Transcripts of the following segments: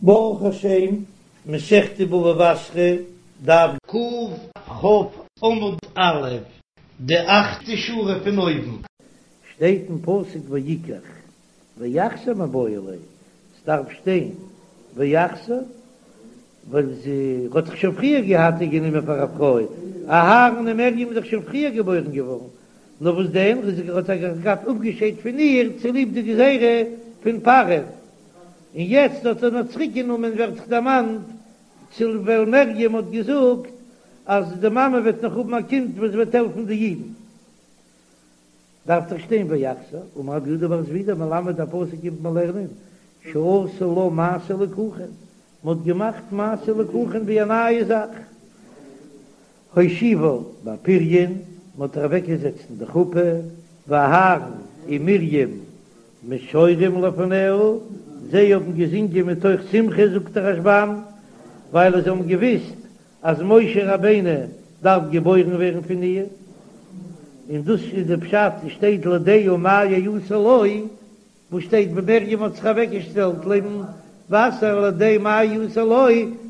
ברוך השם, מסכת בבא בתרא, דף קכ עמוד א', די אכטע שורה פון אויבן. שטייט אין פסוק ויקח ויחזור מיבעי ליה, ס'דארף שטיין ויחזור, ווייל זי האט דאך שוין פריער געהאט איר גענומען פאר א פרוי, אהרן און מרים איז דאך שוין פריער געבוירן געווארן, נאר וואס דען, ער האט זיך געהאט אפגעשיידט פון איר צוליב די גזירה פון פרעה. און יעצט האט ער נאר צוריק גענומען ווערט זיך דערמאנט צו ווייל מרים האט געזאגט אז די מאמע וועט נאך האבן א קינד וואס וועט העלפן די אידן דארף דאך שטיין ויחזור אמר רב יהודה בר זבידא מלמד א פסוק קומט מען לערנען שעשו לה מעשה ליקוחין מען האט געמאכט מעשה ליקוחין ווי א נייע זאך. הושיבה באפריון, מען האט איר אוועקגעזעצט אין די חופה, ואהרן ומרים משוררים לפניה, זיי האבן געזינגען מתוך שמחה זאגט דער רשב"ם, ווייל זיי האבן געוויסט אז משה רבינו דארף געבוירן ווערן פון איר, און דאס איז די פשט, עס שטייט לדעה מה יעשה לו, וואס שטייט ווען מרים האט זיך אוועקגעשטעלט לעבן וואסער לדעה מה יעשה לו,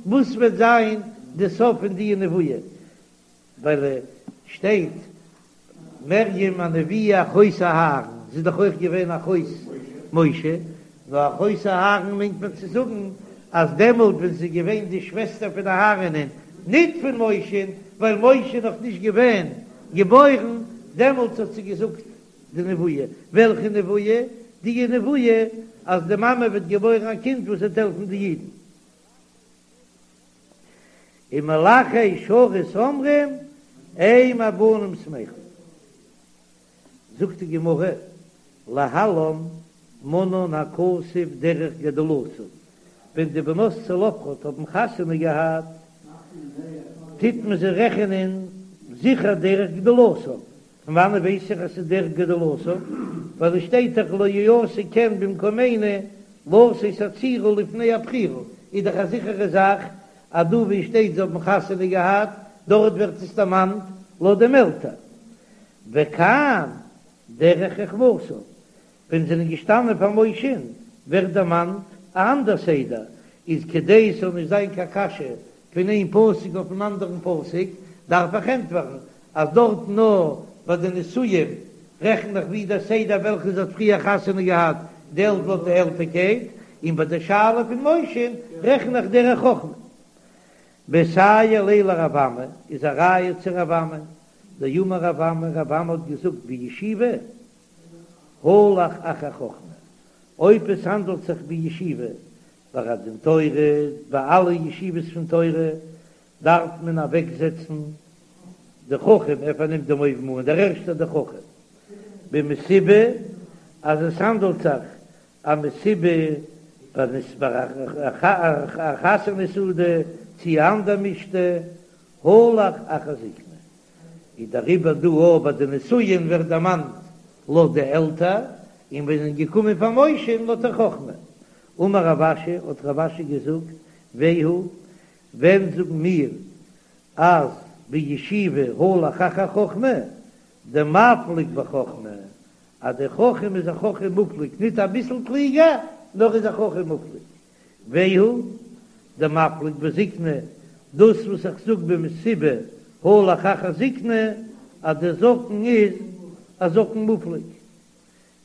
וואס וועט זיין די סוף פון די נבואה, ווייל שטייט מרים הנביאה אחות אהרן, זי איז דאך אויך געווען אחות משה, נאר אחות אהרן מיינט מען צו זאגן אז דעמאלט ווען זי איז געווען די שוועסטער פון אהרנ'ען, ניט פון משה'ן, ווייל משה איז נאך נישט געווען געבוירן, דעמאלט האט זי געזאגט די נבואה, וועלכע נבואה? די נבואה אז די מאמע וועט געבוירן א קינד וואס וועט העלפן די אידן. און מלאכי שרת אומרים אם הבנים שמחה. זאגט די גמרא, להלן מנאן הכתוב דרך גדולתן, ווען די בנות צלפחד האבן חתונה געהאט, טוט מען זיי רעכענען זיכער דרך גדולתן, פון וואנעט ווייס איך אז ס'איז דרך גדולתן? ווייל עס שטייט דאך לא יעשה כן במקומינו לתת הצעירה לפני הבכירה, איז דאך א זיכערע זאך אז דא ווי שטייט זיי האבן חתונה געהאט דארט ווערט עס דערמאנט לויט דעם עלטער. וכאן דרך חכמתן, ווען זענען געשטאנען פאר משה'ן ווערט דערמאנט א אנדער סדר, איז כדי עס זאל נישט זיין קיין קשיא פון איין פסוק אויפן אנדערן פסוק, דארף איך ענטפערן אז דארט נאר ביי די נישואים רעכן איך ווי דער סדר וועלכע זי האט פריער חתונה געהאט די עלט לויט די עלטערקייט, און ביי די שאלה פון משה'ן רעכן איך דרך חכמה. מסייע ליה לרב אמי איז א ראיה צו רב אמי, דאמר רב אמי, רב אמי האט געזאגט בישיבה הלך אחר חכמה, אויב עס האנדלט זיך בישיבה ביי א דין תורה, ביי אלע ישיבות פון תורה דארף מען אוועקזעצן די חכם, ער פארנעמט דעם אויבן אן, דער ערשטער דער חכם, במסיבה אז עס האנדלט זיך א מסיבה ביי א חתונה סעודה צי א אנדער משתה, הלך אחר זקנה, איז דעריבער דא אויך ביי די נישואין ווערט דערמאנט לויט די עלטער, און ווען זענען געקומען פאר משה'ן לויט דער חכמה. אמר רב אשי, האט רב אשי געזאגט, והוא, ווען זאגן מיר אז בישיבה הלך אחר חכמה, דמפליג בחכמה, אז דער חכם איז א חכם מופלג, ניט אביסל קלוגער, נאר איז א חכם מופלג. והוא דמפליג בזקנה, דאס וואס איך זאג במסיבה הלך אחר זקנה, אז דער זקן איז א זקן מופלג.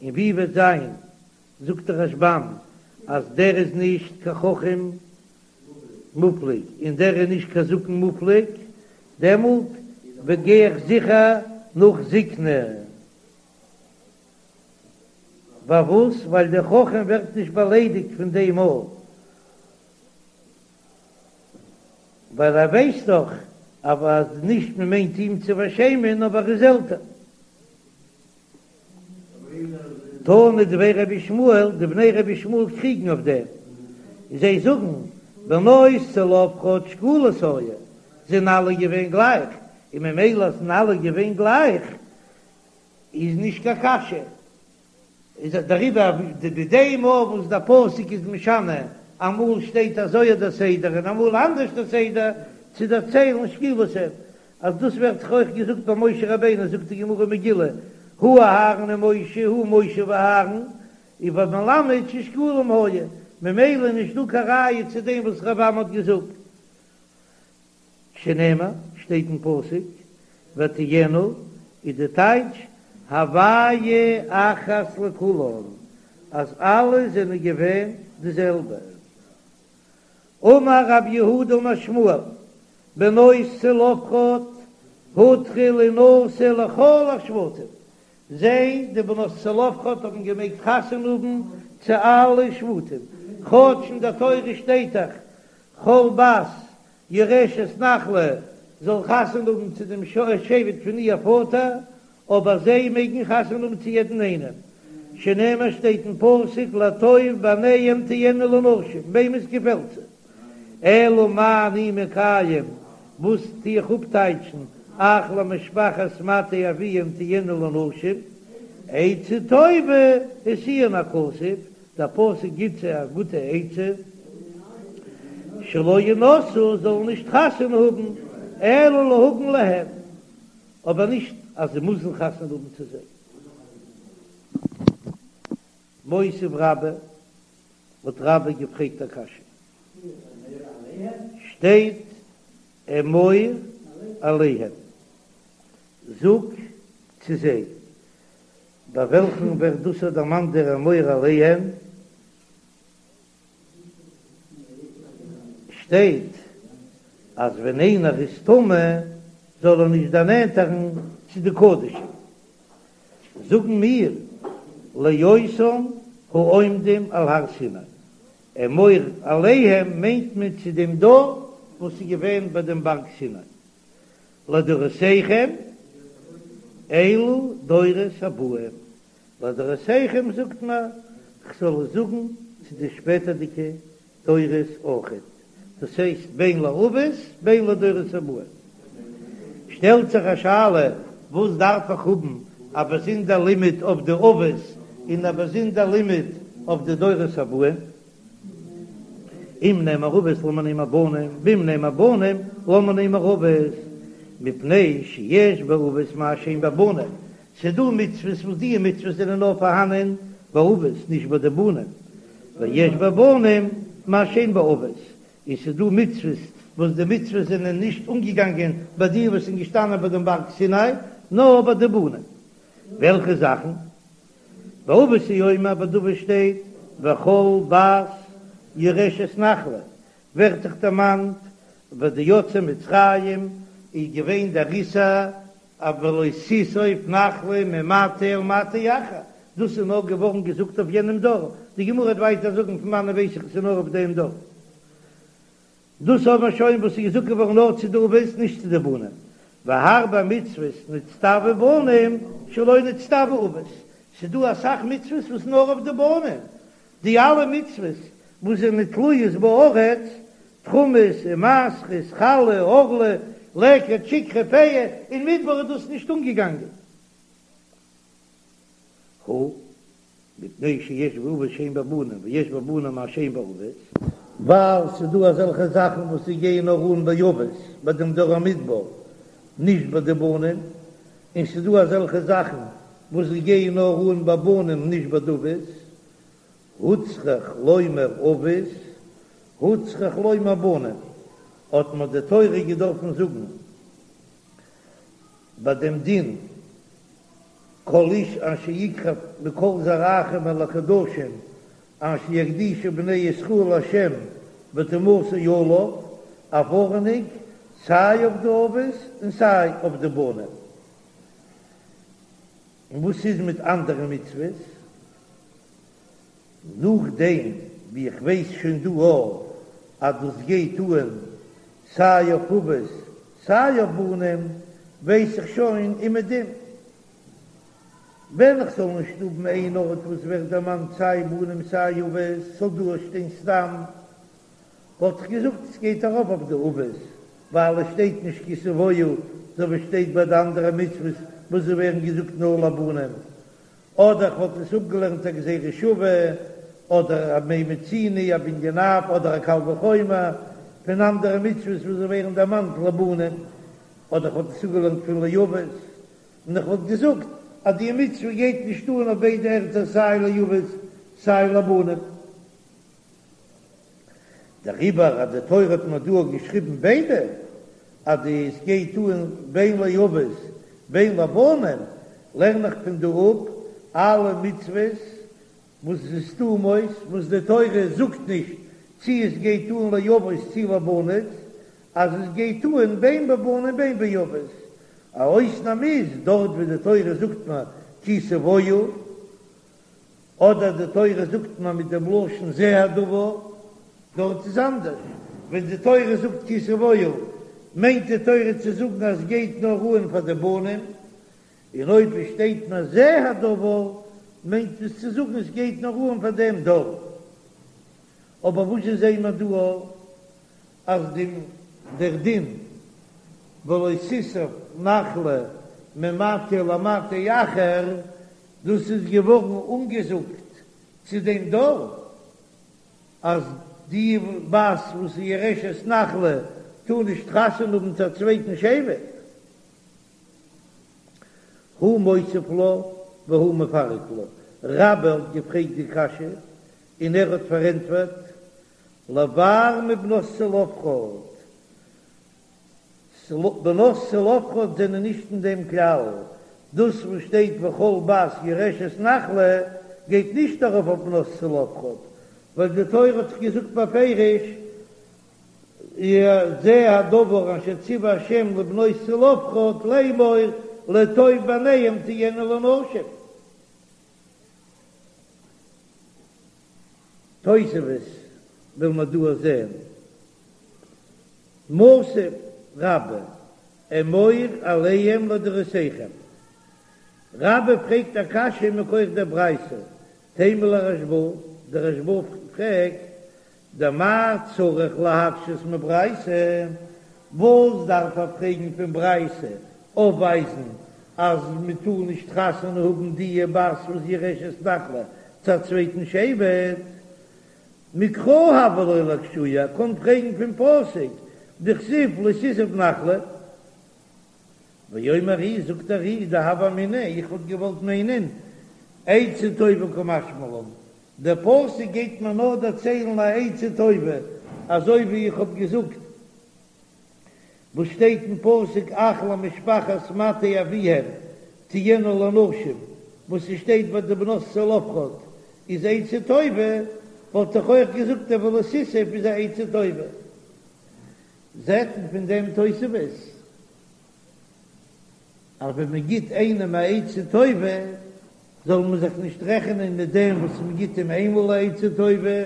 און ווי וועט זיין, זאגט דער רשב"ם, אז דער איז נישט קיין חכם מופלג און דער איז נישט קיין זקן מופלג, דעמאלט וועט גיי איך זיכער נאך זקנה. פארוואס? ווייל דער חכם ווערט נישט באליידיגט פון דעם מאל, ווייל ער ווייסט דאך אז נישט מען מיינט אים צו פארשעמען, אבער ער איז עלטער. תנא דבי רבי ישמעאל, די בני רבי ישמעאל קריגן אויף דעם, זיי זאגן, בנות צלפחד שקולות היו, זענען אלע געווען גלייך, און ממילא זענען אלע געווען גלייך, איז נישט קיין קשיא, איז דעריבער די דעם וואס דער פסוק איז משנה, אמאל שטייט אזוי דער סדר און אמאל אנדערש דער סדר, צו דערציילן שקולות הן, אז דאס ווערט זיך אויך געזאגט ביי משה רבינו, זאגט די גמרא מגילה, הא אהרן ומשה, הא משה ואהרן, איז מלמד ששקולים היו. ממילא איז נישט דא קיין ראיה צו דעם וואס רבי אמי האט געזאגט. שנאמר, שטייט אין פסוק, ותהיינה, איז די טייטש, הוויה אחת לכולן, אז אלע זענען געווען די זעלבע. אמר רב יהודה אמר שמואל, בנות צלפחד הותרו לינשא לכל השבטים, זיי, די בנות צלפחד, האבן געמעגט חתונה האבן צו אלע שבטים, כאטש אין דער תורה שטייט דאך כל בת יורשת נחלה זאל חתונה האבן צו דעם שבט פון איר פאטער, אבער זיי מעגן חתונה האבן צו יעדן איינעם, שנאמר שטייט אין פסוק לטוב בעיניהם תהיינה לנשים, וועם עס געפעלט זיי. אלא מה אני מקיים, וואס טו איך אפטייטשן, אך למשפחת מטה אביהם תהיינה לנשים, עצה טובה השיאן הכתוב, דער פסוק גיט זיי א גוטע עצה, שלא ינשאו, זאלן נישט חתונה האבן, אלא להגן להם, אבער נישט אז זיי מוזן חתונה האבן צו זיי. מותיב רבה, האט רבה געפרעגט א קשיא, שטייט אמור אליהם, זאג צו זיי, ביי וועלכן ווערט דאס דערמאנט דער אמור אליהם? שטייט אז ווען איינער איז טמא זאל ער נישט דערנענטערן צו די קדשים. זאגן מיר לאותם העומדים על הר סיני, אמור אליהם מיינט מען צו דעם דור וואס איז געווען ביי דעם בארג סיני. לדורותיכם אלו דורות הבאים, לדורותיכם זאגט מען כ'זאל עס זאגן צו די שפעטערדיגע דורות אויכעט, דאס הייסט בין לאבות בין לדורות הבאים. שטעלט זיך א שאלה, וואס דארף איך האבן א באזונדער לימוד אויף די אבות און א באזונדער לימוד אויף די דורות הבאים? אם נאמר אבות למה נאמר בנים, ואם נאמר בנים למה נאמר אבות, מפני שיש באבות מה שאין בבנים, ס'דא מצוות וואס די מצוות זענען נאר פארהאנען ביי אבות נישט ביי די בנים, ויש בבנים מה שאין באבות, און ס'דא מצוות וואס די מצוות זענען נישט אנגעגאנגען ביי די וואס זענען געשטאנען ביי דעם בארג סיני, נאר ביי די בנים. וועלכע זאכן? באבות הוא אומר ביי די אבות שטייט וכל בת יורשת נחלה, ווערט דאך דערמאנט ביי די יוצאי מצרים איז געווען דער איסור אויף ולא תסוב נחלה ממטה אל מטה אחר, דאס איז נאר געווארן געזאגט אויף יענעם דור, די גמרא וועט ווייטער זאגן פון וואנען ווייס איך עס איז נאר אויף דעם דור. דאס האבן מיר שוין וואס איז געזאגט געווארן נאר צו די אבות נישט צו די בנים, והרבה מצוות נצטוו בנים שלא נצטוו אבות, ס'איז דא אסאך מצוות וואס נאר אויף די בנים, די אלע מצוות וואס זענען תלויות בארץ, תרומות ומעשרות, חלה, ערלה, לקט, שכחה, פאה, אין מדבר איז דאס נישט אנגעגאנגען. הא, מפני שיש באבות שאין בבנים ויש בבנים מה שאין באבות. ווייל ס'איז דא אזעלכע זאכן וואס זיי גייען נאר אן ביי אבות, ביי דעם דור המדבר, נישט ביי די בנים, און ס'איז דא אזעלכע זאכן וואס זיי גייען נאר אן ביי בנים נישט ביי די אבות, הוצרך לומר אבות, הוצרך לומר בנים, האט מען די תורה געדארפן זאגן ביי דעם דין כל איש אשר יקרב מכל זרעכם אל הקדשים אשר יקדישו בני ישראל לה' וטומאתו עליו, א ווארענונג סיי אויף די אבות און סיי אויף די בנים. און וואס איז מיט אנדערע מצוות? נאכדעם ווי איך ווייס שוין דא א אז דאס גייט אן סיי אויף אבות סיי אויף בנים, ווייס איך שוין אומעדום. ווען איך זאל נישט האבן איין ארט וואס ווערט דערמאנט סיי בנים סיי אבות, ס'זאל דא שטיין סתם, וואלט איך געזאגט עס גייט ארויף אויף די אבות, ווייל עס שטייט נישט כי תבואו אזוי ווי שטייט ביי די אנדערע מצוות וואס זיי ווערן געזאגט נאר לבנים, אדער איך וואלט עס אפגעלערנט א גזירה שווה, אדער א מה מצינו, א בנין אב, אדער א קל וחומר פון אנדערע מצוות וואס זיי ווערן דערמאנט לבנים, אדער איך וואלט עס אפגעלערנט פון לאבות, און איך וואלט געזאגט אז די מצוה גייט נישט אן אויף ביידע ערטער סיי לאבות סיי לבנים. דעריבער אז די תורה האט מיר דא געשריבן ביידע, אז די עס גייט אן בין לאבות בין לבנים, לערן איך פון דא אפ אלע מצוות וואס איז סתומות, וואס די תורה זאגט נישט צי עס גייט אן לאבות צי לבנות, אז עס גייט אן בין בבנים בין באבות. א אויסנאם איז דארט ווי די תורה זאגט מיר כי תבואו, אדער די תורה זאגט מיר מיט דעם לשון זה הדבר, דארט איז אנדערש, ווען די תורה זאגט כי תבואו מיינט די תורה צו זאגן אז עס גייט נאר אן פאר די בנים, און אויב עס שטייט נאר זה הדבר מיינט עס צו זאגן עס גייט נאר אן פאר דעם דור. אבער וואס זשע זעהן מיר דא אז די דער דין ולא תסוב נחלה ממטה למטה אחר דאס איז געווארן אנגעזאגט צו דעם דור אז די בת וואס איז יורשת נחלה טאר נישט חתונה האבן צו א צווייטן שבט. הוא מותיב לה והוא מפרק לה, רבה האט געפרעגט די קשיא און ער האט פארענטפערט, לבר מבנות צלפחד, בנות צלפחד זענען נישט אין דעם כלל, דאס וואס שטייט וכל בת יורשת נחלה גייט נישט ארויף אויף בנות צלפחד, ווייל די תורה האט דאך געזאגט בפירוש זה הדבר אשר ציווה ה' לבנות צלפחד לאמור לטוב בעיניהם תהיינה לנשים. תוספות וויל מען דא זען מתיב רבה אמור אליהם לדורותיכם. רבה פרעגט א קשיא מכח דער ברייתא, תימה לרשב"א, דער רשב"א פרעגט דמאי צריך להקשות מברייתא, וואס דארף ער פרעגן פון ברייתא אויפווייזן אז מען טאר נישט חתונה האבן די בת וואס יורשת נחלה צו א צווייטן שבט? מקרא הוה ליה לאקשויי, ער קען פרעגן פון פסוק דכתיב לא תסוב נחלה. ואומר ר"י, זאגט דער ר"י, דהוה אמינא, איך וואלט געוואלט מיינען עצה טובה קא משמע לן, דער פסוק גייט מיר נאר דערציילן א עצה טובה, אזוי ווי איך האב געזאגט וואס שטייט אין פסוק אך למשפחת מטה אביהם תהיינה לנשים, וואס עס שטייט ביי די בנות צלפחד איז עצה טובה, וואלט איך אויך געזאגט דער ולא תסוב איז א עצה טובה. זעט מען פון דעם תוספות אז ווען מען גיט איינעם א עצה טובה זאל מען זיך נישט רעכענען מיט דעם וואס מען גיט אים איינמאל א עצה טובה,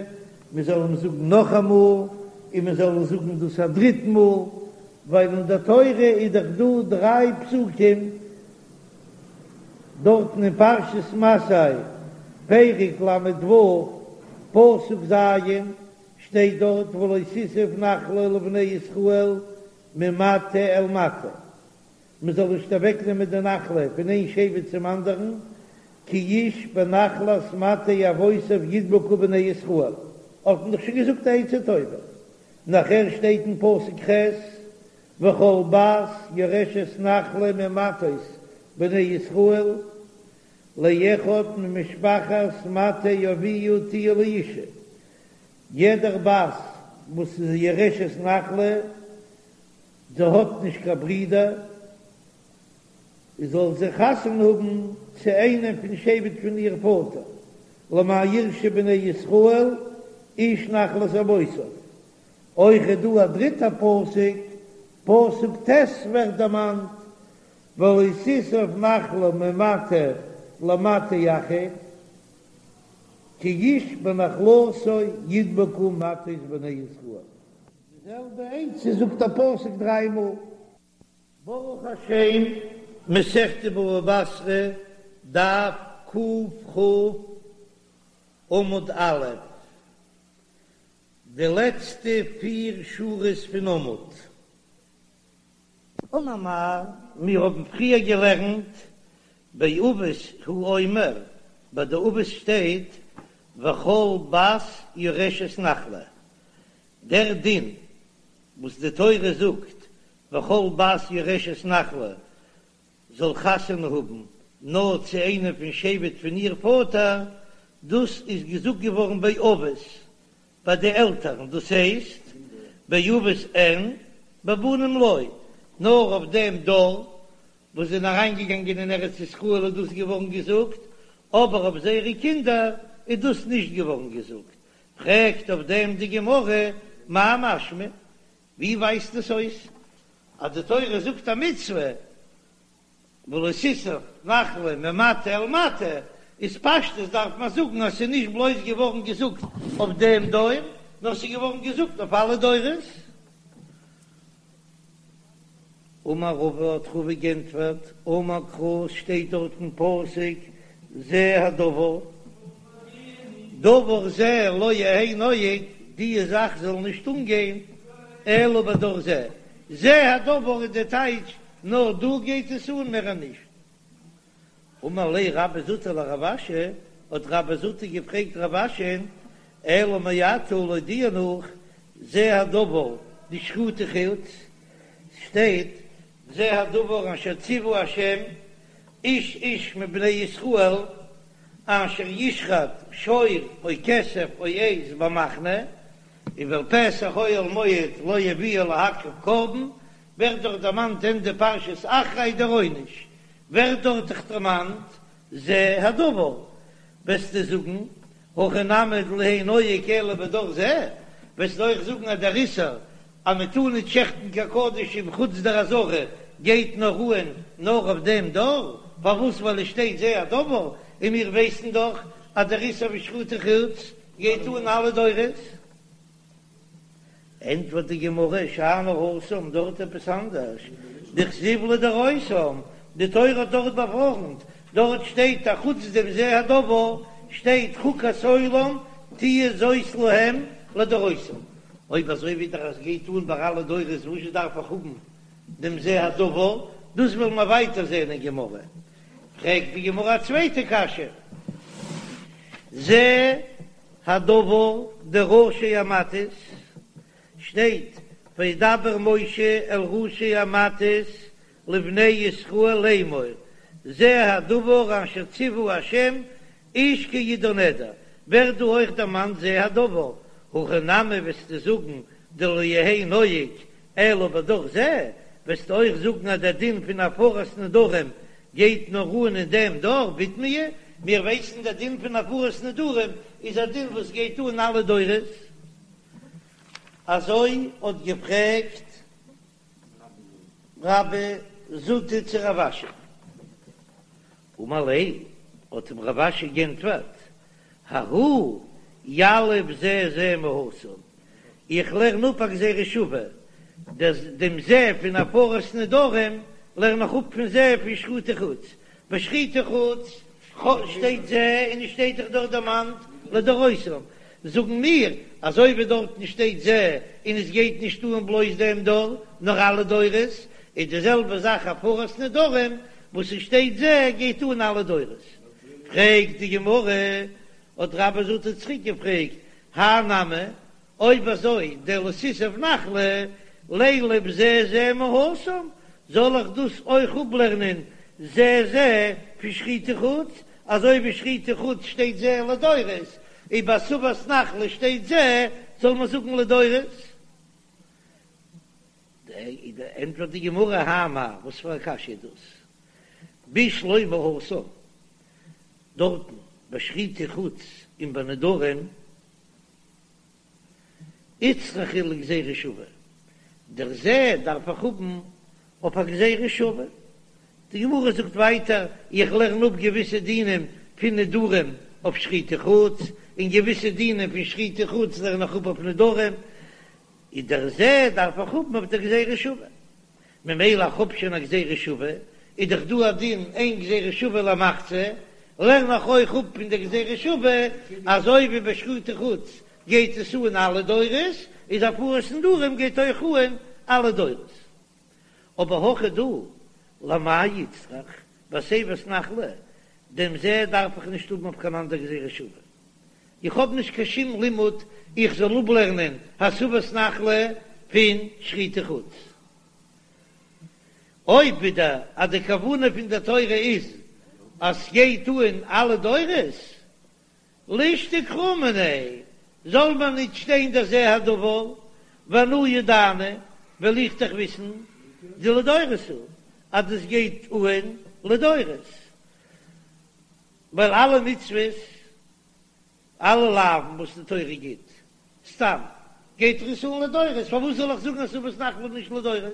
מען זאל אים זאגן נאכאמאל, און מען זאל אים זאגן דאס א דריט מאל, ווייל אין דער תורה איז דאך דא דריי פסוקים דארטן אין פרשת מסעי, פרק ל"ו, פסוק ז', שטייט דארט ולא תסוב נחלה לבני ישראל ממטה אל מטה, מען זאל נישט אוועק נעמען די נחלה פון איין שבט צום אנדערן, כי איש בנחלת מטה אבותיו ידבקו בני ישראל, האט מען דאך שוין געזאגט א עצה טובה, נאכער שטייט אין פסוק ח' וכל בת יורשת נחלה ממטות בני ישראל לאחד ממשפחת מטה אביה תהיה לאשה, יעדער בת וואס איז יורשת נחלה, זי האט נישט קיין ברידער, זאל זי חתונה האבן צו איינעם פון שבט פון איר פאטער, למען יירשו בני ישראל איש נחלת אבותיו. אויך איז דא א דריטע פסוק, פסוק ט' ווערט דערמאנט, ולא תסוב נחלה ממטה למטה אחר, כי איש בנחלתו ידבקו מטות בני ישראל. די זעלבע עצה זאגט א פסוק דריי מאל. ברוך השם, מסכת בבא בתרא, דף קכ עמוד א', די לעצטע פיר שורות פון עמוד. אמר מר, מיר האבן פריער געלערנט באבות הוא אומר, ביי די אבות שטייט וכל בת יורשת נחלה, דער דין וואס די תורה זאגט וכל בת יורשת נחלה זאל חתונה האבן נאר צו איינעם פון שבט פון איר פאטער, דאס איז געזאגט געווארן ביי אבות. ביי די עלטערן, דאס הייסט באבות אין בבנים לא, נאר אויף דעם דור וואס זענען אריינגעגאנגען אין ארץ ישראל איז דאס געווארן געזאגט, אבער אויף זייערע קינדער איז דאס נישט געווארן געזאגט. פרעגט אויף דעם די גמרא, מאי משמע? ווי ווייזט עס אויס אז די תורה זאגט א מצוה ולא תסוב נחלה ממטה אל מטה, איז פשטות דארף מען זאגן אז ס'איז נישט בלויז געווארן געזאגט אויף דעם דור, נאר ס'איז געווארן געזאגט אויף אלע דורות. אמר רבא האט רבא גענטפערט, אמר קרא שטייט דארט אין פסוק זה הדבר, דבר זה לא יהא נוהג, די זאך זאל נישט אנגיין אלא בדור זה, זה הדבר איז די טייטש נאר דא גייט עס אן מער נישט. אמר ליה רבה זוטא לרב אשי, האט רבה זוטא געפרעגט רב אשי'ן, אלא מעתה לויט דיר נאך, זה הדבר דשחוטי חוץ, שטייט זה הדבר אשר ציוה ה' איש איש מבני ישראל אשר ישחט שור או כשב או עז במחנה, ואל פתח אוהל מועד לא יביאו להקריב קרבן, ווערט דארט דערמאנט אין די פרשת אחרי דער עונש, ווערט דארט דאך דערמאנט זה הדבר, וועסטו זאגן הכא נמי דלא יהא נוהג אלא בדור זה, וועסטו אויך זאגן אז דער איסור אז מען טאר נישט שעכטן קיין קדשים חוץ דער עזרה גייט נאר אן נאר אויף דעם דור, פארוואס ווייל עס שטייט זה הדבר, און מיר ווייסן דאך אז דער איסור פון שחוטי חוץ גייט אן אלע דורות. ענטפערט די גמרא, שאני התם, דארט עפעס אנדערש, דכתיב לדורותם, די תורה האט דארט באווארנט, דארט שטייט א חוץ דעם זה הדבר, שטייט חוקת עולם תהיה זאת להם לדורותם, אויב אזוי ווי דער אז גייט אן ביי אלע דורות וואס דארף איך האבן דעם זה הדבר, דאס וועלן מיר ווייטער זען אין גמרא. פרעגט די גמרא א צווייטע קשיא, זה הדבר דראשי המטות, שטייט וידבר משה אל ראשי המטות לבני ישראל לאמור זה הדבר אשר ציוה ה' איש כי ידור נדר, ווערט דא אויך דערמאנט זה הדבר, הכא נמי וועסטו זאגן דלא יהא נוהג אלא בדור זה, וועסטו אויך זאגן אז דער דין פון הפרת נדרים גייט נאר אן אין דעם דור, בתמיה, מיר ווייסן דער דין פון הפרת נדרים איז א דין וואס גייט אן אלע דורות. אזוי האט געפרעגט רבה זוטא צו רב אשי. אמר ליה, האט אים רב אשי גענטפערט, ההוא יליף זה זה מהתם, איך לערן אפ א גזירה שווה, דעם זה פון הפרת נדרים לערן איך אפ פון זה פון שחוטי חוץ, ביי שחוטי חוץ שטייט זה און עס שטייט דאך דארט דערמאנט לדורותם, זאגן מיר אזוי ווי דארטן שטייט זה און עס גייט נישט אן בלויז דעם דור נאר אלע דורות, איז די זעלבע זאך הפרת נדרים וואס עס שטייט זה גייט אן אלע דורות. פרעגט די גמרא, האט רבה זוטא צוריק געפרעגט, האי נמי, אויב אזוי דלא תסוב נחלה לילף זה זה מהתם, זאל איך דאס אויך אפלערנען זה זה פון שחוטי חוץ, אזוי ווי שחוטי חוץ שטייט זה לדורות, און ביי הסבת נחלה שטייט זה, זאל מען זאגן לדורות? ענטפערט די גמרא, האי מאי, וואס פאר א קשיא איז דאס? בשלמא התם, דארטן ביי שחוטי חוץ און ביי נדרים, איצטריכא לגזירה שווה, דער זה דארף איך האבן אויף א גזירה שווה. די גמרא זאגט ווייטער, איך לערן אפ געוויסע דינים פון נדרים אויף שחוטי חוץ, און געוויסע דינים פון שחוטי חוץ לערן איך אפ אויף נדרים, איז דער זה דארף איך האבן אויף דער גזירה שווה. ממילא איך האב שוין א גזירה שווה, איז דאך דא א דין אין גזירה שווה למחצה, לערן איך אויך אפ פון דער גזירה שווה, אזוי ווי ביי שחוטי חוץ גייט עס אן אלע דורות, איז הפרת נדרים גייט אויך אן אלע דורות. אבער הכא דא, למאי איצטריך, בהסבת נחלה, דעם זה דארף איך נישט האבן אויף קיין אנדער גזירה שווה. איך האב נישט קיין שום לימוד איך זאל אפלערנען הסבת נחלה פון שחוטי חוץ. אויב ווידער אז די כוונה פון דער תורה איז אז סגייט אן אלע דורות, לישתוק קרא מיניה. זאל מען ניט שטיין דער זה הדבר, ואנא ידענא, וועל איך דאך וויסן דלדורות הוא, אז דאס גייט אהן לדורות, ווייל אלע מצוות, אלע לאווין וואס די תורה גיט, סתם, גייט עס אן לדורות, פארוואס זאל איך זאגן אז הסבת נחלה איז נישט לדורות?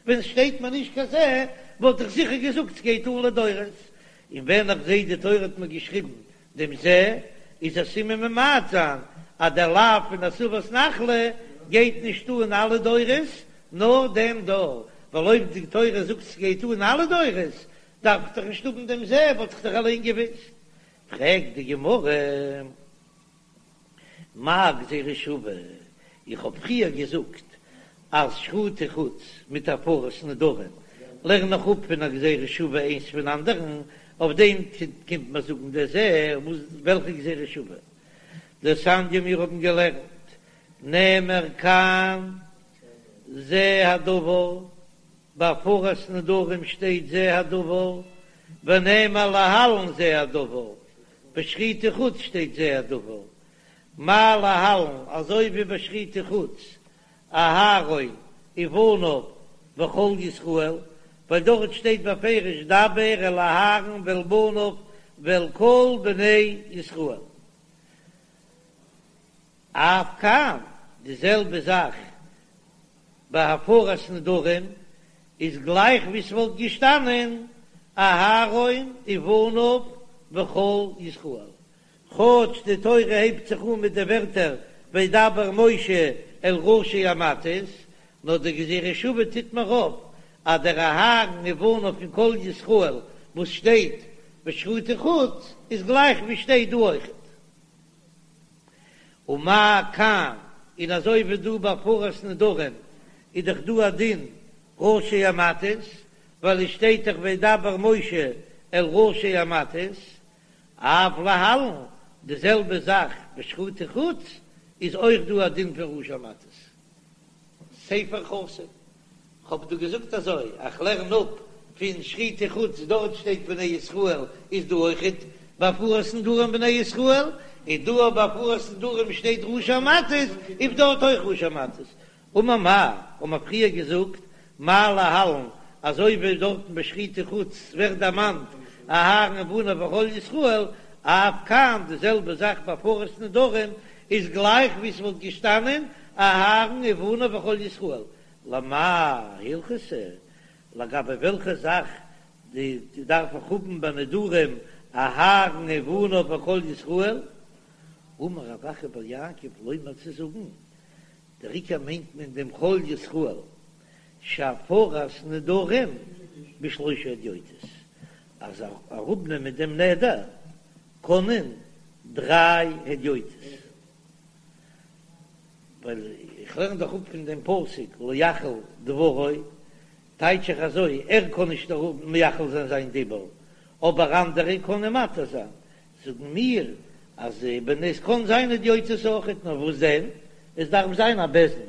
ווען עס שטייט מיר נישט קיין זה, וואלט איך זיכער געזאגט ס'גייט אן לדורות. און ווען איך זעה די תורה האט מיר געשריבן דעם זה, איז א סימן ממעט זיין אז דער לאו פון הסבת נחלה גייט נישט אן אלע דורות, נאר דעם דור, ווייל אויב די תורה זאגט ס'גייט אן אלע דורות, דארף איך דאך נישט האבן דעם זה, וואלט איך דאך אליין געוואוסט. פרעגט די גמרא. מאי גזירה שווה? איך האב פריער געזאגט אז שחוטי חוץ מיט הפרת נדרים לערן איך אפ פון א גזירה שווה איינס פון אנדערן, אויף דעם קומט מען זאגן דער זה, וואס וועלכע גזירה שווה? דתניא מיר האבן געלערנט נאמר כאן זה הדבר, ביי הפרת נדרים שטייט זה הדבר, ונאמר להלן זה הדבר, ביי שחוטי חוץ שטייט זה הדבר, מה להלן, אזוי ווי ביי שחוטי חוץ, אהרן ובניו וכל ישראל, ווייל דארט שטייט בפירוש דבר אל אהרן ואל בניו ואל כל בני ישראל. אף כאן, די זעלבע זאך ביי הפרת נדרים, איז גלייך ווי ס'וואלט געשטאנען אהרן ובניו וכל ישראל, כאטש די תורה הייבט זיך אן מיט די ווערטער וידבר משה אל ראשי המטות, נאר די גזירה שוה טוט מיר אויף אז דער אהרן ובניו און כל ישראל וואס שטייט בשחוטי חוץ איז גלייך ווי שטייט דא אויכעט. ומה כאן, און אזוי ווי דא ביי הפרת נדרים איז דאך דא א דין ראשי המטות, ווייל עס שטייט דאך וידבר משה אל ראשי המטות, אף להלן, די זעלבע זאך בשחוטי חוץ איז אויך דא א דין פון ראשי המטות. ספר חתום. כ'האב דא געזאגט אזוי, איך לערן אפ פון שחוטי חוץ, דארט שטייט בני ישראל, איז דא אויכעט ביי הפרת נדרים בני ישראל, און דא ביי הפרת נדרים שטייט ראשי המטות, איז דארט אויך ראשי המטות. אמר מר, האבן מיר פריער געזאגט, מה להלן, אזוי ווי דארטן ביי שחוטי חוץ ווערט דערמאנט אהרן ובניו וכל ישראל, אף כאן די זעלבע זאך ביי הפרת נדרים, איז גלייך ווי ס'וואלט געשטאנען אהרן ובניו וכל ישראל, למאי הלכתא, לגבי וועלכע זאך די דארף איך האבן ביי נדרים אהרן ובניו וכל ישראל? אמר רב אחא בר יעקב לומר צו זאגן, דער עיקר מיינט מען דעם כל ישראל, שהפרת נדרים בשלושה הדיוטות, אז אראפנעמען דעם נדר קענען דריי הדיוטות. ווייל איך לערן דאך אפ פון דעם פסוק לא יחל דברו, טייטש איך אזוי, ער קען נישט אראפ מחיל זיין זיין דיבור, אבער אנדערע קענען מתיר זיין, זאגן מיר אז ווען עס קען זיין הדיוטות אויכעט, נאר וואס דען, עס דארף זיין א בית דין,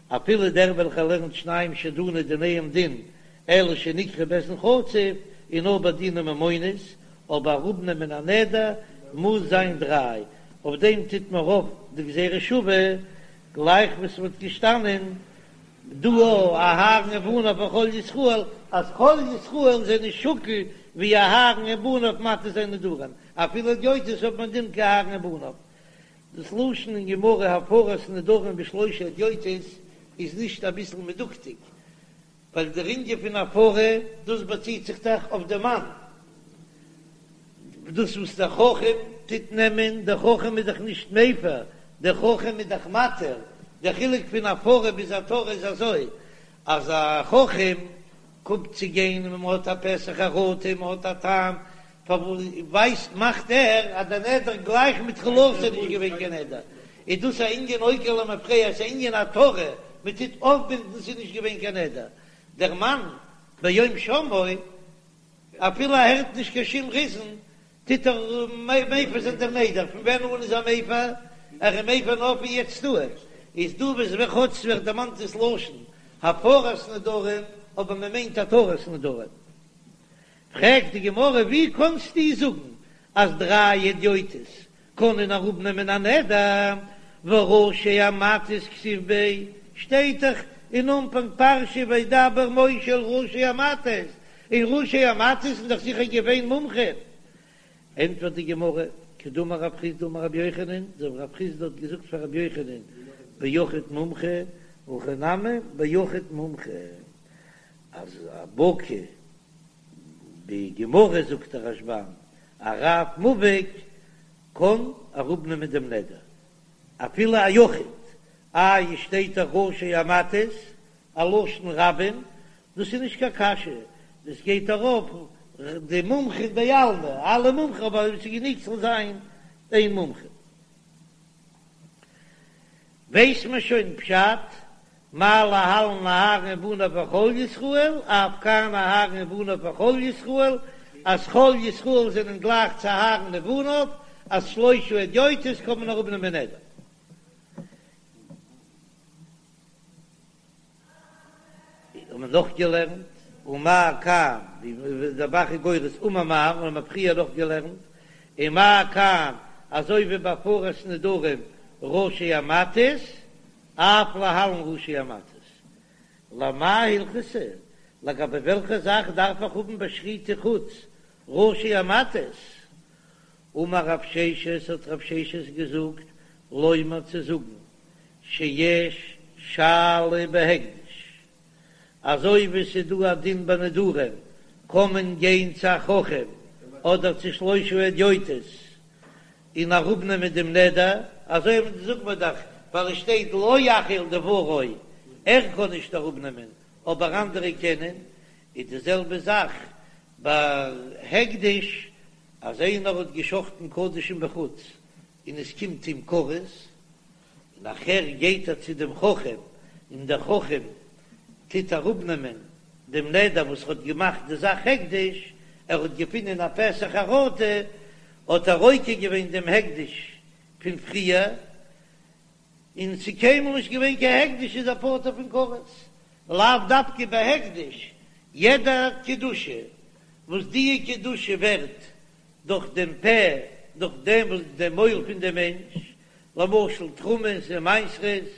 אפילו דער וועלכער לערנט שניים שדנו דיניהם דין, אלא שנקראו בית דין חצוף, און נאר ביי דיני ממונות, אבער אראפנעמען א נדר מוז זיין דריי, אויף דעם טוט מען אויף די גזירה שווה, גלייך ווי ס'וואלט געשטאנען דא אהרן ובניו וכל ישראל, אז כל ישראל זענען שקול ווי אהרן ובניו מתיר זיין נדרים, אפילו הדיוטות האט מען דין כאהרן ובניו. דאס לשון אין גמרא הפרת נדרים בשלושה הדיוטות איז נישט אביסל מדוקדק, ווייל דער ענין פון הפרה, דאס באציט זיך דאך אויף דעם מאן, דאס וואס דער חכם טוט נעמען, דער חכם איז דאך נישט מפר, דער חכם איז דאך מתיר, דער חילוק פון הפרה ביז התרה איז אזוי, אז א חכם קומט צו גיין און מען האט א פתח חרטה, מען האט א טעם פארוואס ווייסט מאכט ער אז דער נדר גלייך מתחילתו איז נישט געווען קיין נדר, איז דאס א ענין עוקר למפרע, עס איז א ענין התרה, מען טוט אויפבינדן ס'איז נישט געווען קיין נדר, דער מאן ביום שמעו אפילו ער הערט נישט קיין שום ריזן טוט ער מפר זיין דעם נדר, פון ווען אן איז ער מפר? ער איז מפר נאר פון יעצט אן, איז דא וואס ווען כאטש ווערט דערמאנט דאס לשון הפרת נדרים אבער מען מיינט התרת נדרים. פרעגט די גמרא ווי קאנסטו זאגן אז דריי הדיוטות קענען אראפנעמען א נדר? והא ראשי המטות כתיב ביה, שטייט דאך אין אנפאנג פרשה וידבר משה אל ראשי המטות, און ראשי המטות זענען דאך זיכער געווען מומחים. ענטפערט די גמרא, כדאמר רב חסדא אמר רבי יוחנן, אזוי ווי רב חסדא האט געזאגט פאר רבי יוחנן ביחיד מומחה, הכא נמי ביחיד מומחה, אז א בקי בגמרא זאגט דער רשב"ם, א רב מובהק קען אראפנעמען דעם נדר, אפילו א יחיד, איי עס שטייט דאך ראשי המטות, א לשון רבים, דאס איז נישט קיין קשיא, דאס גייט ארויף די מומחים בעלמא, אלע מומחים, אבער עס איז גענוג ס'זאל זיין איין מומחה. ווייסט מען שוין פשט, מה להלן אהרן ובניו וכל ישראל, אף כאן אהרן ובניו וכל ישראל, אז כל ישראל זענען גלייך צו אהרן ובניו, אז שלושה הדיוטות קען מען אראפנעמען נדר. האט מען נאך געלערנט, ומה כאן, ווי דער ב"ח איז גורס אמר מר, און האט מען פריער נאך געלערנט, ומה כאן, אזוי ווי ביי הפרת נדרים ראשי המטות, אף להלן ראשי המטות. למאי הלכתא, לגבי וועלכע זאך דארף איך האבן ביי שחוטי חוץ ראשי המטות? אמר רב ששת, האט רב ששת געזאגט, לומר צו זאגן, שיש שאלה בהקדש, אזוי ווי ס'איז דא א דין ביי נדרים, קען מען גיין צו א חכם אדער צו שלושה הדיוטות און אראפנעמען דעם נדר, אזוי זאגט מען דאך ווייל עס שטייט לא יחל דברו, ער קען נישט אראפנעמען אבער אנדערע קענען, איז די זעלבע זאך ביי הקדש, אז איינער האט געשחטן קדשים בחוץ און עס קומט אים כרת, און נאכער גייט ער צו דעם חכם, און דער חכם טוט אראפנעמען דעם נדר וואס ער האט געמאכט די זאך הקדש, ער האט געפונען א פתח חרטה, האט ער עוקר געווען דעם הקדש פון פריער, און ס'איז קיינמאל נישט געווען קיין הקדש איז ער פטור פון כרת, לאו דווקא ביי הקדש, יעדע קדושה וואס די קדושה ווערט דורך דעם פה, דורך דעם וואס דעם מויל פון דעם מענטש, למשל תרומות און מעשרות,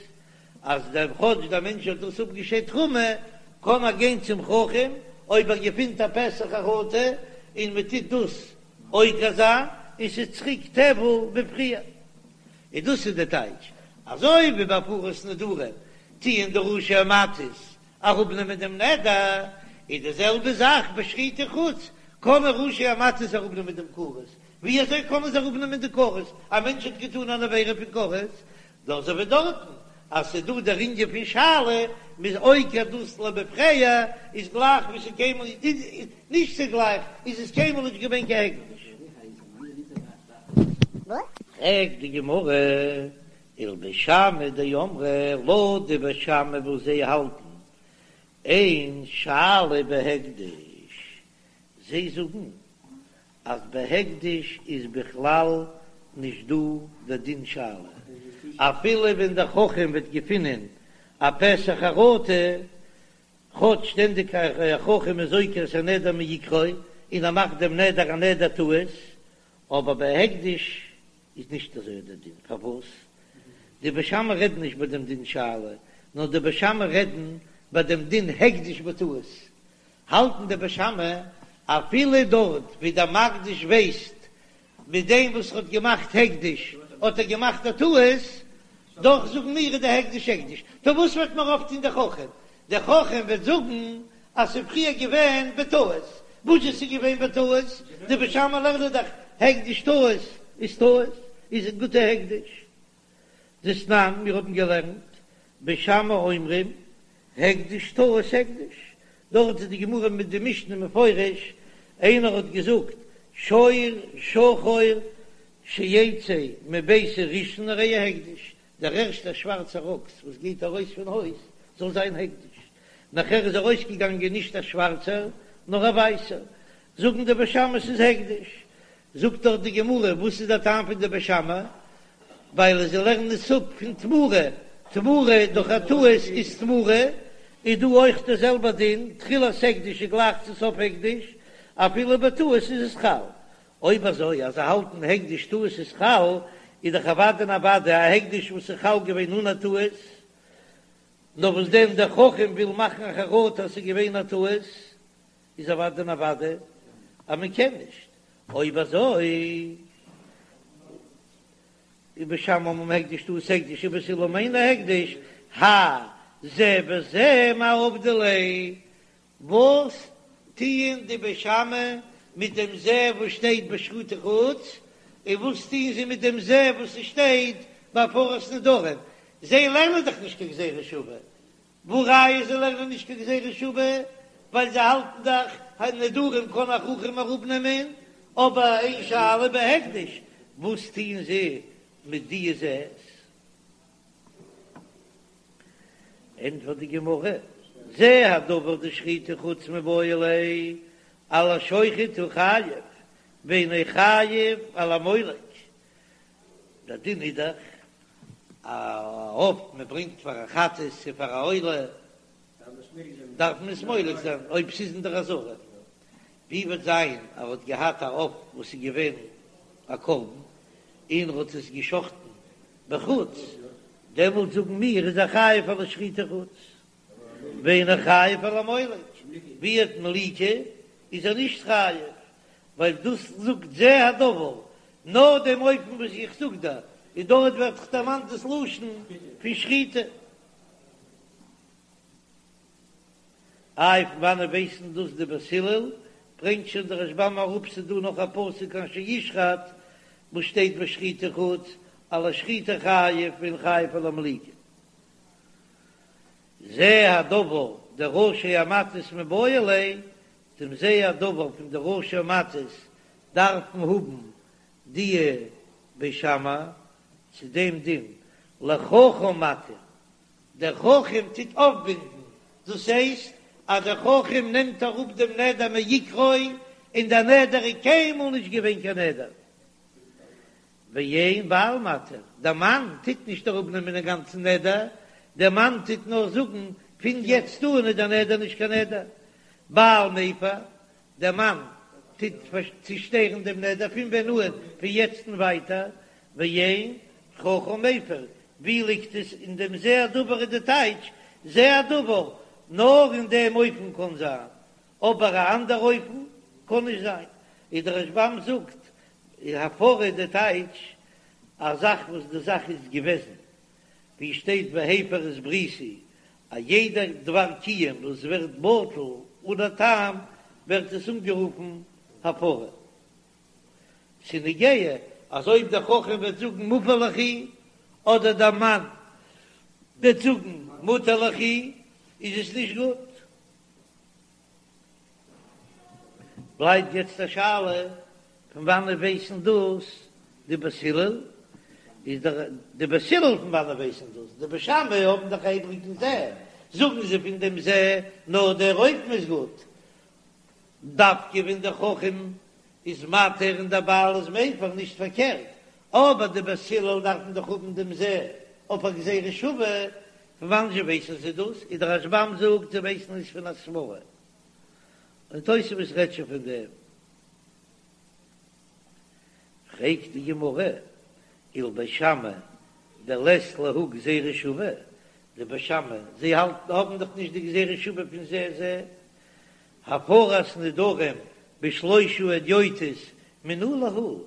אז דער כאטש דער מענטש האט דאס אפגעשיידט תרומה, קען ער גיין צום חכם אויב ער געפינט א פתח חרטה און מען טוט דאס עוקר זיין און ס'איז צוריק טבל ווי פריער. און דאס איז די טייטש, אזוי ווי ביי הפרת נדרים טוען די ראשי המטות אראפנעמען דעם נדר, איז די זעלבע זאך ביי שחוטי חוץ, קענען ראשי המטות אראפנעמען דעם כרת, ווי אזוי קענען זיי אראפנעמען די כרת? א מענטש האט געטאן אן עבירה פון כרת, דאך אזוי ווי דארטן אז ס'איז דא דער ענין פון שאלה, מ'איז עוקר דאס למפרע, איז גלייך ווי ס'איז קיינמאל נישט צו גלייך איז עס קיינמאל נישט געווען קיין הקדש. פרעגט די גמרא, ולבית שמאי דאמרי, לויט די בית שמאי וואס זיי האלטן אין שאלה בהקדש, זיי זאגן אז בהקדש איז בכלל נישט דא די דין שאלה, אפילו ווען דער חכם וועט געפינען א פתח חרטה, כאטש שטענדיג א חכם איז עוקר את הנדר מעיקרו און ער מאכט דעם נדר א נדר טעות, אבער בהקדש איז נישט אזוי דער דין, פארוואס? די בית שמאי רעדן נישט ביי דעם דין שאלה, נאר די בית שמאי רעדן ביי דעם דין הקדש בטעות, האלטן די בית שמאי אפילו דארט ווי דער מקדיש ווייסט מיט דעם וואס ער האט געמאכט הקדש האט ער געמאכט א טעות, דאך זאגן מיר איז די הקדש הקדש, טא וואס וועט מיר אויפטון דער חכם? דער חכם וועט זאגן אז ס'איז פריער געווען בטעות, וואס איז געווען בטעות? די בית שמאי לערנען דאך הקדש טעות איז טעות, איז א גוטע הקדש. דתנן, מיר האבן געלערנט, בית שמאי אומרים, הקדש טעות הקדש, דארט איז די גמרא מיט די משנה מפורש, איינער האט געזאגט שור שחור שיצא מביתי ראשון הרי הוא הקדש, דער ערשטער שווארצער אקס וואס גייט ארויס פון הויז זאל זיין הקדש, נאכער איז ארויסגעגאנגען נישט א שווארצער נאר א ווייסער, זאגן די בית שמאי ס'איז הקדש, זאגט דאך די גמרא וואס איז דער טעם פון די בית שמאי, ווייל זיי לערנען עס אפ פון תמורה, תמורה דורך א טעות איז תמורה, איז דא אויך דער זעלבער דין, תחילת הקדש איז גלייך צו סוף הקדש, אפילו בטעות איז עס חל. אויב אזוי אז זיי האלטן הקדש טעות איז חל, איז דאך אוודאי און אוודאי א הקדש וואס איז חל געווען אן א טעות, נאר וואס דען דער חכם וויל מאכן א חרטה אז ס'איז געווען א טעות, איז אוודאי און אוודאי אז מען קען נישט, אויב אזוי איז בית שמאי אומרים הקדש טעות הקדש ובית הלל אומרים אינו הקדש, האי זה וזה מאי עבדי ליה, וואס טוען די בית שמאי מיט דעם זה וואס שטייט ביי שחוטי חוץ, און וואס טוען זיי מיט דעם זה וואס ס'שטייט ביי הפרת נדרים? זיי לערנען דאך נישט קיין גזירה שווה, והא ראיה זיי לערנען נישט קיין גזירה שווה, ווייל זיי האלטן דאך אז נדרים קען א חכם אראפנעמען, אבער אין שאלה בהקדש, וואס טוען זיי מיט די זה'ס? ענטפערט די גמרא, זה הדבר דשחוטי חוץ מיבעי ליה, על השוחט הוא חייב, ואינו חייב על המולק. דער דין איז דאך א עוף מען ברענגט פאר א חטאת צו פאר א עולה, דארף מען עס מולק זיין אויב ס'איז אין דער עזרה. ווי וועט זיין ער האט געהאט א עוף וואס איז געווען א קרבן און ער האט עס געשחטן בחוץ, דעמאלט זאגן מיר איז ער חייב על השחוטי חוץ, ואינו חייב על המולק, ווי אט מליקה איז ער נישט חייב, ווייל דאס זאגט זה הדבר, נאר דעם אופן וואס איך זאג דא, און דארט ווערט דאך דערמאנט דאס לשון פון שחיטה. איי פון וואנעט ווייסן דאס די בית הלל? ברענגט שוין דער רשב"ם אראפ ס'איז דא נאך א פסוק אשר ישחט וואס שטייט ביי שחוטי חוץ על השחיטה חייב ואינו חייב על המליקה. זה הדבר דראשי המטות מיבעי ליה, דעם זה הדבר פון די ראשי המטות דארפן האבן די בית שמאי צו דעם דין לחכם מתיר דער חכם טוט אויפבינדן, דאס הייסט אז דער חכם נעמט אראפ דעם נדר מעיקרו, און דער נדר איז קיינמאל נישט געווען קיין נדר. ואין בעל מתיר, דער מאן טוט נישט אראפנעמען דעם גאנצן נדר, דער מאן טוט נאר זאגן, פון יעצט אן איז דער נדר נישט קיין נדר. בעל מפר, דער מאן טוט צושטערן דעם נדר פון ווען אן, פון יעצט און ווייטער, ואין חכם מפר, ווי ליגט עס אין דעם זה הדבר איז די טייטש זה הדבר, נאר אין דעם אופן קען זיין, אבער א אנדער אופן קען נישט זיין, איז דער רשב"ם זאגט הפרה איז די טייטש א זאך וואס די זאך איז געוועזן, ווי שטייט והפר את בריתי, א יעדע דבר קיום וואס ווערט בטל אן א טעם ווערט עס אנגערופן הפרה. ס'נוגע אז אויב דער חכם וועט זאגן מופר ליכי אדער דער מאן וועט זאגן מותר ליכי איז עס נישט גוט. בלייבט יעצט א שאלה פון וואנעט ווייסן דאס די בית הלל? איז דער די בית הלל פון וואנעט ווייסן דאס? די בית שמאי האבן דאך א איבריגן זה, זאגן זיי פון דעם זה נאר דער אופן איז גוט, דווקא ווען דער חכם איז מתיר און דער בעל איז מפר, נישט פארקערט, אבער די בית הלל דארפן דאך האבן דעם זה אויף א גזירה שווה, פון וואנעט זשע ווייסן זיי דאס? איז דער רשב"ם זאגט זיי ווייסן עס פון א סברא, און תוספות רעדט שוין פון דעם. פרעגט די גמרא, ולבית שמאי דלית להו גזירה שווה, די בית שמאי זיי האלטן האבן דאך נישט די גזירה שווה פון זה זה, הפרת נדרים בשלושה הדיוטות מנא להו,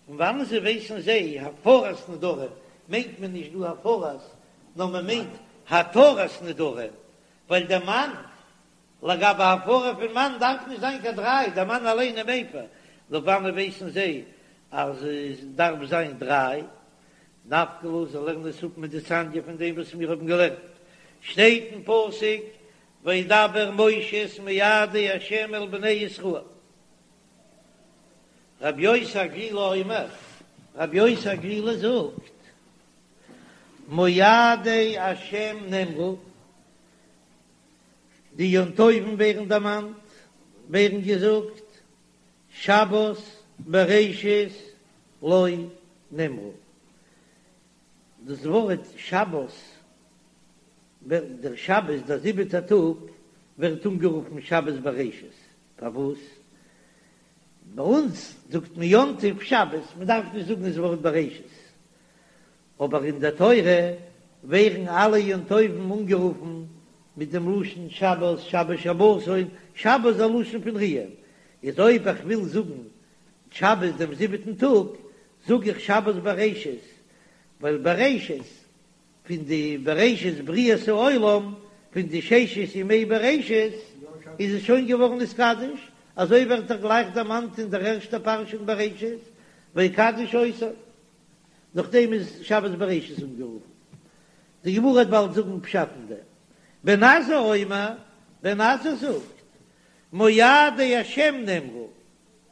פון וואנען זיי ווייסן זיי הפרת נדרים מיינט מען נישט דא הפרת נאר מען מיינט התרת נדרים, ווייל דער מאן לגבי הפרה פון מאן דארף נישט זיין קיין דריי, דער מאן אליין איז מפר, נאר וואנען ווייסן זיי אז עס דארף זיין דריי, נפקא להו זיי לערנען עס אפ מדתניא פון דעם וואס מיר האבן געלערנט, שטייט אין פסוק וידבר משה את מועדי ה' אל בני ישראל. רבי יוסי הגלילי אומר, רבי יוסי הגלילי זאגט, מועדי ה' נאמרו, די יום טובים ווערן דערמאנט, ווערן געזאגט, שבת בראשית לא נאמרו. דאס ווארט שבת, דער שבת, דער זיבעטער טאג, ווערט אנגערופן שבת בראשית. פארוואס? ביי אונז זאגט מען יום טוב שבת, מען דארף נישט זאגן דאס ווארט בראשית. אבער אין דער תורה ווערן אלע יום טובים אנגערופן מיט דעם לשון שבת, שבת שבתון, שבת איז א לשון פון רוען, איז אויב איך וויל זאגן שבת דעם זיבעטן טאג, זאג איך שבת בראשית, ווייל בראשית פון די בראשית בריאת העולם, פון די ששת ימי בראשית, איז עס שוין געווארן נתקדש, אזוי ווערט דאך גלייך דערמאנט אין דער ערשטער פרשה אין בראשית, ויקדש אותו, נאכדעם איז שבת בראשית אנגערופן. די גמרא וועט באלד זאגן פשט אין דעם. בן עזאי אומר, בן עזאי זאגט, מועדי השם נאמרו,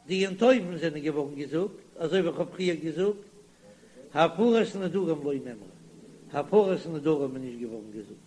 די יום טובים זענען געווארן געזאגט, אזוי ווי איך האב פריער געזאגט, הפרת נדרים לא נאמרה, הפרת נדרים איז נישט געווארן געזאגט.